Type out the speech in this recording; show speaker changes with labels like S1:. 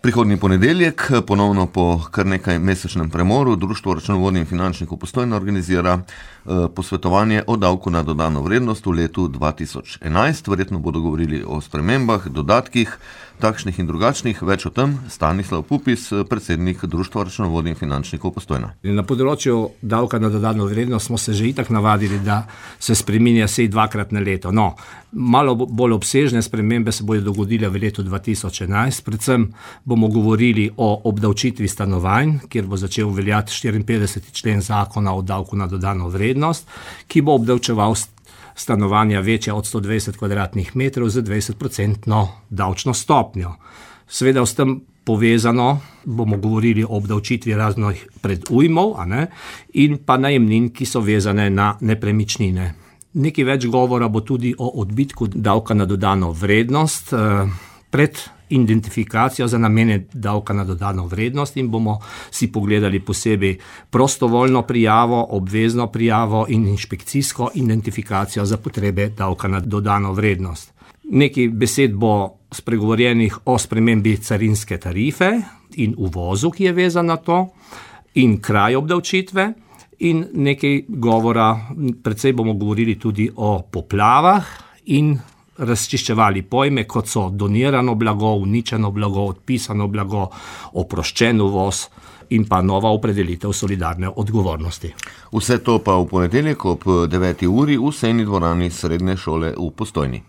S1: Prihodnji ponedeljek, ponovno po kar nekaj mesečnem premoru, Društvo računovodnih in finančnikov Postojna organizira posvetovanje o davku na dodano vrednost v letu 2011. Verjetno bodo govorili o spremembah, dodatkih, takšnih in drugačnih. Več o tem Stanislav Pupis, predsednik Društva računovodnih in finančnikov Postojna.
S2: Na področju davka na dodano vrednost smo se že itak navadili, da se spreminja vsaj dvakrat na leto. No, malo bolj obsežne spremembe se bodo dogodile v letu 2011. Predvsem bomo govorili o obdavčitvi stanovanj, kjer bo začel veljati 54. člen zakona o davku na dodano vrednost, ki bo obdavčeval stanovanja večja od 120 kvadratnih metrov z 20% davčno stopnjo. Seveda s tem povezano bomo govorili o obdavčitvi raznih predujmov, in pa najemnin, ki so vezane na nepremičnine. Nekaj več govora bo tudi o odbitku davka na dodano vrednost pred identifikacijo za namene davka na dodano vrednost in bomo si pogledali posebej prostovoljno prijavo, obvezno prijavo in inšpekcijsko identifikacijo za potrebe davka na dodano vrednost. Nekaj besed bo spregovorjenih o spremembi carinske tarife in uvozu, ki je vezan na to, in kraj obdavčitve, in nekaj govora, precej bomo govorili tudi o poplavah in razčiščevali pojme, kot so donirano blago, uničeno blago, odpisano blago, oproščen uvoz in pa nova opredelitev solidarne odgovornosti.
S1: Vse to pa v ponedeljek ob 9. uri v sejni dvorani Srednje šole v Postojni.